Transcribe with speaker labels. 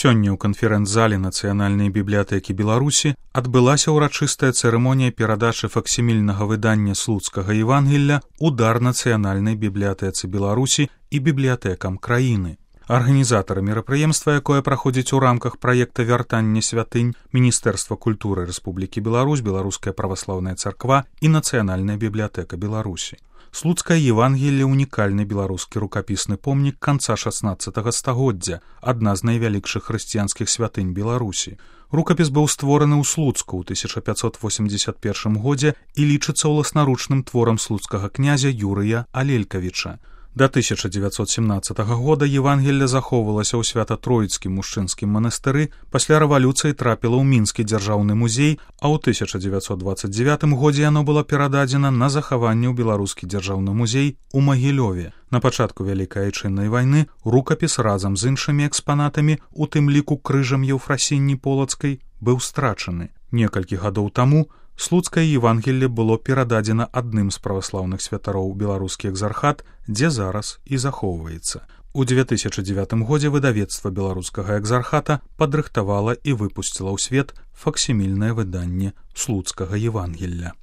Speaker 1: Сёння ў канферэнц-зале Нацыянальнай бібліятэкі Беларусі адбылася ўрачыстая цырымонія перадачы факсімільнага выдання слуцкага Евангелля ў дар Нацыянальнай бібліятэцы Беларусі і бібліятэкам краіны. Арганізатары мерапрыемства, якое праходзіць у рамках праекта «Вяртанне святынь» Міністэрства культуры Рэспублікі Беларусь, Беларуская праваслаўная царква і Нацыянальная бібліятэка Беларусі. Слуцкае Евангелле – унікальны беларускі рукапісны помнік канца 16 стагоддзя, адна з найвялікшых хрысціянскіх святынь Беларусі. Рукапіс быў створаны ў Слуцку ў 1581 годзе і лічыцца ўласнаручным творам слуцкага князя Юрыя Алелькавіча. Да 1917 года Евангелле захоўвалася ў Свята-Троіцкім мужчынскім манастыры, пасля рэвалюцыі трапіла ў Мінскі дзяржаўны музей, а ў 1929 годзе яно было перададзена на захаванне ў Беларускі дзяржаўны музей у Магілёве. На пачатку Вялікай Айчыннай вайны рукапіс разам з іншымі экспанатамі, у тым ліку крыжам Еўфрасіні Полацкай, быў страчаны. Некалькі гадоў таму Слуцкае Евангелле было перададзена адным з праваслаўных святароў беларускі экзархат, дзе зараз і захоўваецца. У 2009 годзе выдавецтва беларускага экзархата падрыхтавала і выпусціла ў свет факсімільнае выданне Слуцкага Евангелля.